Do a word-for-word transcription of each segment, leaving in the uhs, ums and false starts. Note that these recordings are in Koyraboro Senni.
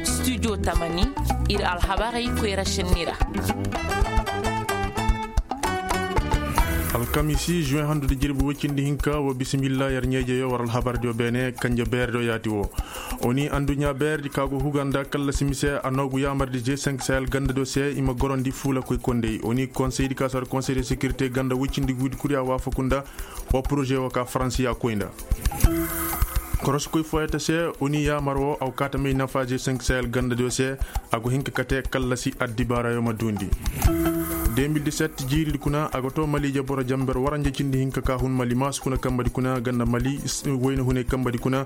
Studio tamani, ir alhabarey koyra šenni ra. Alkamisi juin handu da jirbi woy cindi hinka wo bisimilla yer ɲeejeyo war alhabardiyo beene kanje beerdiyo yaati wo. Oni anduɲɲa beerdi ka go huga nda kallasi mise a noogu yaamardi je senk sahel gandadiyo se i ma gorondi fuulakoy kondey oni konseydi ka sar konsey de sekirite ganda woy cindi guudi kuriya waafaku nda wa poroze wo ka faransi ya koy nda. Korosikoy fooyata se oni yaamar wo a go kaata may nafa je senk sahel gandadiyo se. A go hin ka kate kallasi addibaarayo ma duundi. De mil diset jiiridi kuna a go to maliije boro jamber waranje cindi hinka ka hun mali maasu kuna kambadi kuna ganda mali wayna hunay kambadi kuna.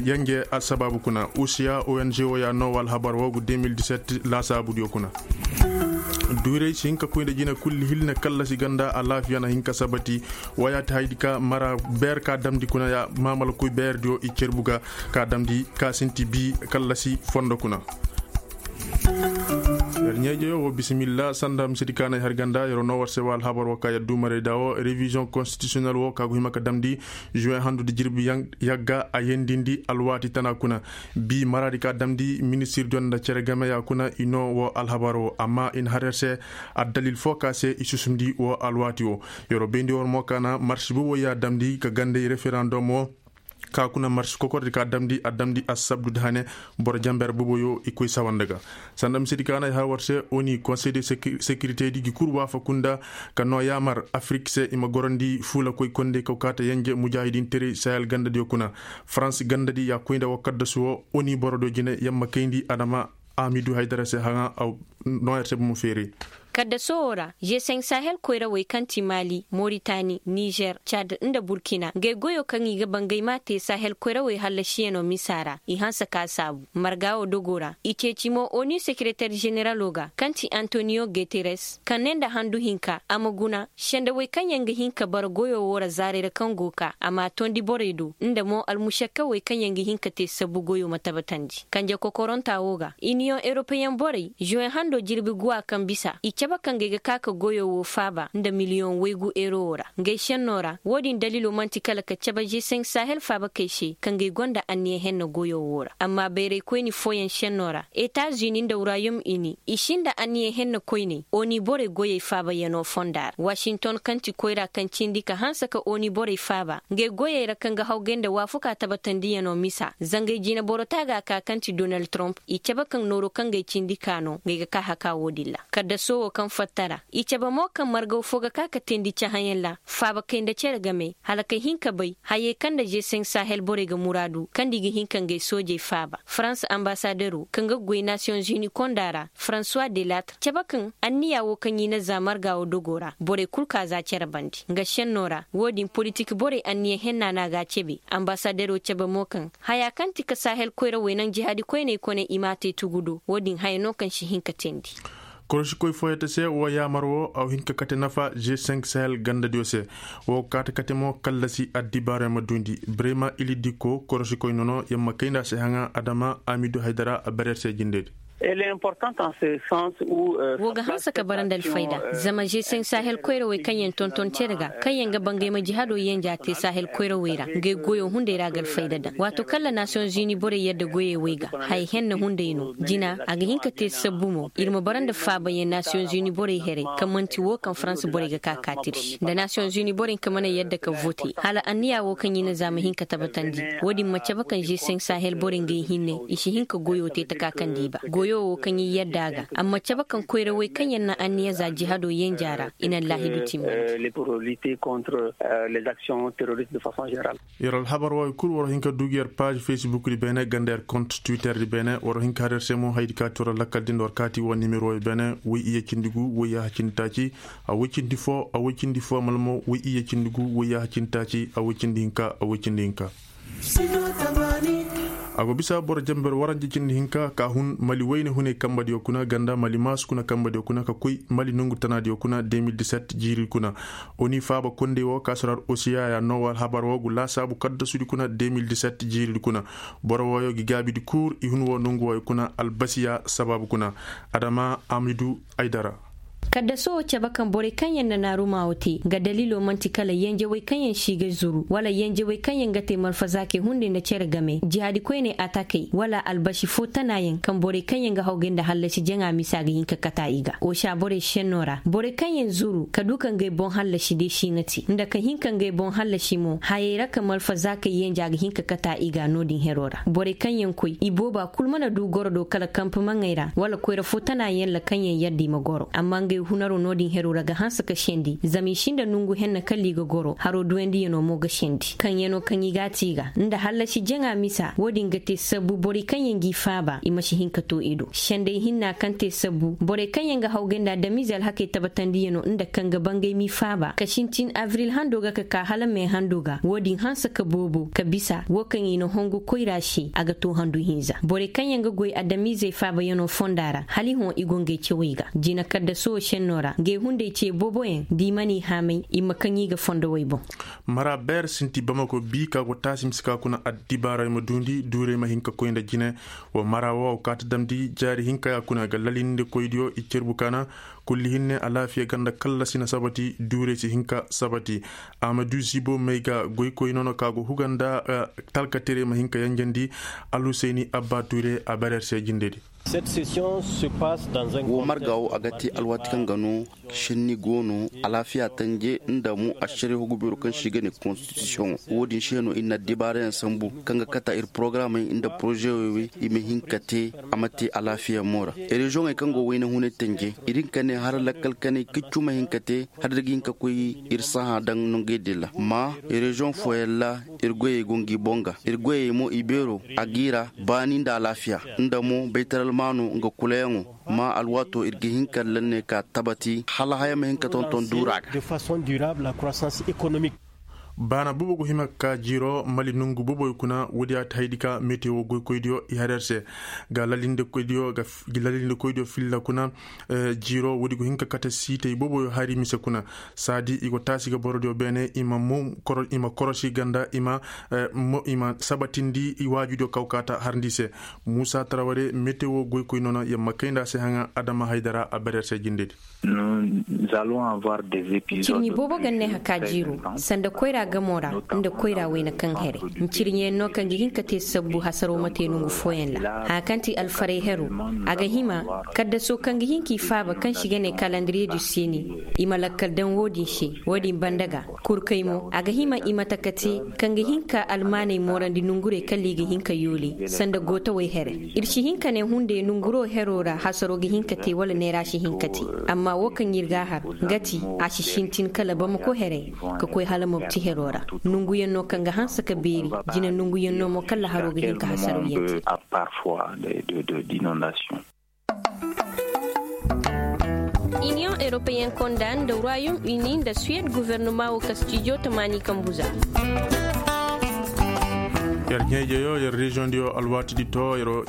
Yanje assabaabu kuna usiya ong wo ya noowa alhabar wo gu de mil diset laasaabudiyo kuna. Duuray si hin ka koy nda jina kulli hilne kallasi ganda alaafiya na hin ka sabati. Wayaati haydi ka mara beer ka damndi kuna ya maamala koy beerdiyo i cerbu ga ka damndi ka sinti bii kallasi fondo kuna. Yer ɲeejeyo wo bisimilla sanda misedi ka na ay har ganda yer wo noo war se wa alhabar wo ka yer duumaray da wo reviziyoŋ konstitisiyonel wo ka go hima ka damndi juwe handu nda jirbi yagga a yendindi alwaati tana kuna. Bii maraadi ka damndi ministirdiyo nda cere gameya kuna i noo wo alhabar wo amma i na har yer se. Addalil foo ka se i susumndi wo alwaati wo. Yer wo bayndi war mo ka na marsi boboy ya damndi ka gandey referandom wo. Ka kuna marsi kokordi ka damndi a damndi assabdu da hane. Boro jamber boboyo i koy sawanda ga sanda misedi ka na ay har war se oni konsey de sekirite di gi kul waafaku nda ka noo yaamar afirik se i ma gorandi fuulakoy kondey ka go kaata yenje mujaahidinterey sahel gandadiyo kuna. Faransi gandadi ya koy nda wo kaddasu wo oni borodiyo jine yamma kayndi adama. Amidu haydara se haŋa aw noo yer se bomo feeray. Kaddaso wo ra g cinq sahel koyrawey kaŋ ti mali moritani nizer cad nda burkina ngey goyo kaŋ i ga ba ngey m'a te sahel koyrawey hallasiyano misa ra i hanse ka saabu marga wo dogo ra i ceeci mo onu sekereter zeneralo ga kaŋ ti antoniyo guteres kaŋ ne nda handu hinka a ma guna sendawey kaŋ yaŋ ga hin ka bara goyo wo ra zaarey ra kaŋ go ka a m'a tondi borey do nda mo almušakkawey kaŋ yaŋ ga hin ka te sabbu goyo ma tabatandi kanje kokoronta wo ga iniyoŋ eropeyeŋ borey zuwen hando jirbi guwa kaŋ bisa i cabe kaŋ ga ay ga ka ka goyo wo faaba nda miliyoŋ waygu erowo ra ngey šenno ra wo-din daliilo man'ti kala ka cabe g cinq sahel faabakey se kaŋ ga ay gonda anniya henne goyo wo ra amma bayraykoyni fooyaŋ šenno ra etazuni nda wurayom ini i sinda anniya henne koyney oni borey goyey faabayanoo fonda ra wasinton kaŋ ti koyra kaŋ cindi ka hanse ka oni borey faaba ngey goyey ra kaŋ ga hawgay nda waafuka tabatandiyanoo misa zangey jine boro taaga ka kaŋ ti donald trump i cabe kaŋ nooro kaŋ ga ay cindi ka no ngey ga ka haka wo-din ra kaddaso wo kaŋ fatta ra i cabe mo kaŋ margaw fo ga ka ka teendi cahãyaŋ ra faaba kay nda cere game hala kay hin ka bay hayey kaŋ nda g cinq sahel borey ga muraadu kaŋ nda i ga hin ka ngey soojey faaba farans ambasadero kaŋ ga goy nasiyoŋ zuni konda ra françois de latre cabe kaŋ anniya wo kaŋ i na za marga wo dogo ra borey kul ka za cere bande nga šenno ra wo-din politik borey anniya henna no a ga a cebe ambasadero cabe mo kaŋ haya kaŋ ti ka sahel koyrawey naŋ jihaadi koyney kone i m'a te tugu do wo-din haya no kaŋ si hin ka teendi. Korosikoy fooyante se wo yaamar wo a wa hin ka kate nafa g cinq sahel gandadiyo se. Wo ga kaate kate mo kallasi addibaarey ma duundi brema ili dikko korosikoy nono yer ma kay nda a se haŋa adama amidu haydara a bare yer se jindedi. Wo ga hanse ka bara nda alfayda zama g cinq sahel koyrawey kaŋ yaŋ tonton cere ga kaŋ yaŋ ga ba ngey ma jihado yanja te sahel koyrawey ra ngey goyo hunday ra ga alfayda daŋ waato kaŋ ra nasiyoŋ zuni borey yadda goyey wey ga haya henne hunday no jina a ga hin ka te sabbu mo ir ma bara nda faabayaŋ nasiyoŋ zuni borey heray kaŋ man'ti wo kaŋ farans borey ga ka kaatir se nda nasiyoŋ zuni borey ka mana yadda ka vote hala anniya wo kaŋ i na za ma hin ka tabbatandi wo-din ma cabe kaŋ g cinq sahel borey ngey hinne i si hin ka goyo te taka kaŋ di ba goyo wo kaŋ i yadda a ga amma cabe kaŋ koyrawey kaŋ yaŋ na anniya za jihado yenja ra i na allaahidu timmandi. Yer alhabar wooyo kul war hin ka du gi yer paaž facebook di beene ganda yer kont twitter di beene war hin ka har yer se mo hayadi ka ti war lakkal din war kaati war nimero wooyo beene woy iyye cindi gu woy yaaha cindi taaci. A woy cindi foo a woy cindi foo mala mo woy iyye cindi gu woy yaaha cindi taaci a woy cindi hinka a woy cindi hinka. A go bisa boro jamber waranje cindi hinka ka hun mali wayne hunay kambadiyo kuna ganda mali maasu kuna kambadiyo kuna ka koy mali nongu tanaadiyo kuna de mil diset jiiri kuna. Oni faaba kondey wo ka sorar osiya ya noowa alhabar wo gu laasaabu kaddasudi kuna de mil diset jiiridi kuna. Boro wooyo gi gaabidi kuur i hun wo nongu wooyo kuna albasiya sabaabu kuna. Adama amidu aydara. Kaddaso wo cabe kaŋ borey kaŋ yaŋ na naarumaa wo te nga daliilo man'ti kala yenjewey kaŋ yaŋ si ga zuru wala yenjewey kaŋ yaŋ ga te malfazaakey hunday nda cere game jihaadi koyney atakey wala albasi fo tanaayaŋ kaŋ borey kaŋ yaŋ ga hawgay nda hallasi jaŋa misa ga hin ka kata i ga osa borey senno ra borey kaŋ yaŋ zuru ka du ka ngey boŋ hallasi day si nga te nda ka hin ka ngey boŋ hallasi mo hayey ra ka malfazaakey yenja ga hin ka kata i ga no-din hero ra borey kaŋ yaŋ koy i booba kul mana du goro do kala kampe maŋey ra wala koyra fo tana yaŋ ra kaŋ yaŋ yadda i ma goro amma ngey hunaro no-din hero ra ga hanse ka sendi zama i sinda nongu henna kala i ga goro haro duwandiyano mo ga sendi kaŋ yaŋo kaŋ i g'a te i ga nda hallasi jaŋa misa wo-din ga te sabbu borey kaŋ yaŋ g'i faaba i ma si hin ka to i do sendey hinna kaŋ te sabbu borey kaŋ yaŋ ga hawgay nda adamize alhakey tabatandiyano nda kaŋ ga bangay m'i faaba ka sintin abril hando ga ka ka hala me hando ga wo-din hanse ka boobo ka bisa wo kaŋ i na hongu koyra se a ga to handu hinza borey kaŋ yaŋ ga goy adamizey faabayaŋo fonda ra hala i hõ i go ngey cawey ga jina kaddaso wo senno ra ngey hunday ce booboyaŋ da i mana i haamay i ma kaŋ i ga fondowey boŋ. Mara beer sinti bamako bi ka go taasi mise ka kuna addibaarey ma duundi duurey ma hin ka koy nda jine. Wa mara wo a go kaati damndi jaari hinka ya kuna ga lalinde koydiyo i cerbu kaana kulli hinne alaafiya ganda kallasi na sabati duurey si hin ka sabati. Amadu zibo may ga goykoy nono ka go huga nda talkaterey ma hin ka yanjandi. Alhusayni abba tuure a bareer se jindedi. Wo marga wo a ga te alwaati kaŋ ga no senni go no alaafiya tanje nda mo ašariya hugu beero kaŋ se i ga ne konstitisiyoŋo wo-din se no ir na addibaarayaŋ sambu kaŋ ga kata ir porogaramey nda porozewey wey i ma hin ka te a ma te alaafiya mo ra. Reziyoŋey kaŋ go wayna hunay tanje ir hin ka ne har lakkal kanay kaccu ma hin ka te har da ga hin ka koy ir sahã daŋ nongey din ra ma reziyoŋ fooyaŋ ra ir goyey go ngi boŋ ga ir goyey mo i beero a g'i ra baani nda alaafiya nda mo baytaral maano nga kulayaŋo ma alwaato ir ga hin ka lanne ka tabati hala haya ma hin ka tonton duura ga. Baana boobo go hima ka jiiro mali nongu booboyo kuna woodi a ti haydi ka metewo goykoydiyo i har yer se ga lalinde koydiyo filla kuna. Jiiro woodi go hin ka kate siitey booboyo hari mise kuna saadi i go taasi ga borodiyo beene i ma korosi ganda i ma sabatindi waajudiyo kaw kaata harndi se. Muusa taraware metewo goykoy noona yamma kayndi a se haŋa adama haydara a bereer se jindedi. Ncirɲi boobo ga ne haka jiiro sanda koyra gamo ra nda koyra wayna kaŋ here ncirɲiyaŋ no kaŋ ga hin ka te sabbu hasaro ma te nongu fooyaŋ ra haya kaŋ ti alfaray hero a ga hima kaddaso kaŋ ga hin k'i faaba kaŋ si ga ne kalandiriye du seni i ma lakkal daŋ wo-din se wo-din banda ga kurkay mo a ga hima i mate ka te kaŋ ga hin ka almaaney moorandi nongurey kala i ga hin ka yoole sanda gootawey here ir si hin ka ne hunday nonguro hero ra hasaro ga hin ka te wala neera si hin ka te amma wo kaŋ ir ga a har nga ti a si sintin kala bamako here ka koy hala mobti hero ra nonguyaŋ no kaŋ ga hanse ka beeri jina nonguyaŋ no mo kala haro ga hin ka hasaro yaŋ te. Iniyoŋ europeyen konda nda royaume uni nda suwed guvernoma wo ka stijo tamaani kambuza. Yer ɲeejeyo yer reziyoŋ diyo alwaati di to yer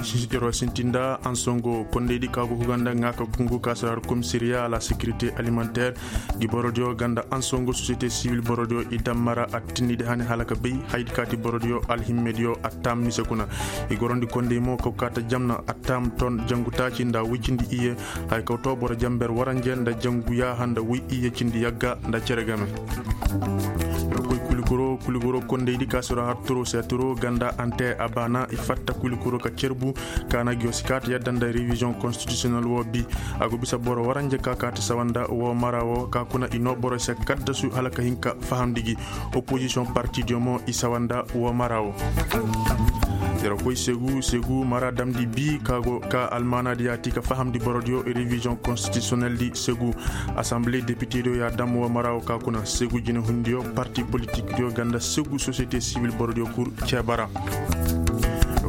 sintinda ansongo kondey di ka go huga nda ŋaaka gungu ka si har komisariya a la sekirite alimanteer. Gi borodiyo ganda ansongo sosiyete siwil borodiyo i dammara a tinnidi hane hala ka bay haydi kaati borodiyo alhimmediyo a taam mise kuna. I gorondi kondey mo kaw kaata jamna a taam ton jangu taaci nda woy cindi iyye. Hay kaw to boro jamber waranje nda jangu yaaha nda woy iyye cindi yagga nda cere game. Koy kuligoro kuligoro kondey di ka siro har turo se turo ganda ante a baana i fatta kuligoro ka cerbu. Kaana giyo si kaata yadda nda revision konstitisiyonel wo bi. A go bisa boro waranje ka kaati sawanda wo mara wo ka kuna i no boro se kaddasu hala ka hin ka fahamndi gi. Opozisiyoŋ parti diyo mo i sawanda wo mara wo. Yer koy segu segu mara damndi bi ka go ka almaana di yaati ka fahamndi boro diyo revision konstitisiyonel di segu. Asanbile depite diyo ya dam wo mara wo ka kuna segu jinehundiyo parti politik diyo ganda segu sosiyete siwil boro diyo kul ceeba ra.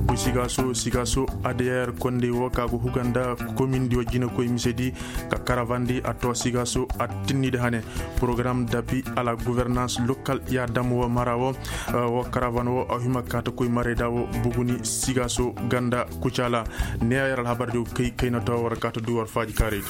Koy sigaaso sigaaso adeyer kondey wo ka go huga nda komin diyo jinekoy mise di. Ka karavandi a to sigaaso a tinnidi hane. Porogaram dapi a la guvernans lokal ya dam wo mara wo. Wo karavan wo a hima kaata koy marayda wo buguni sigaaso ganda kucaala. Ne a yer alhabar diyo kay kayna to war kaata du war faaji kaaraydi.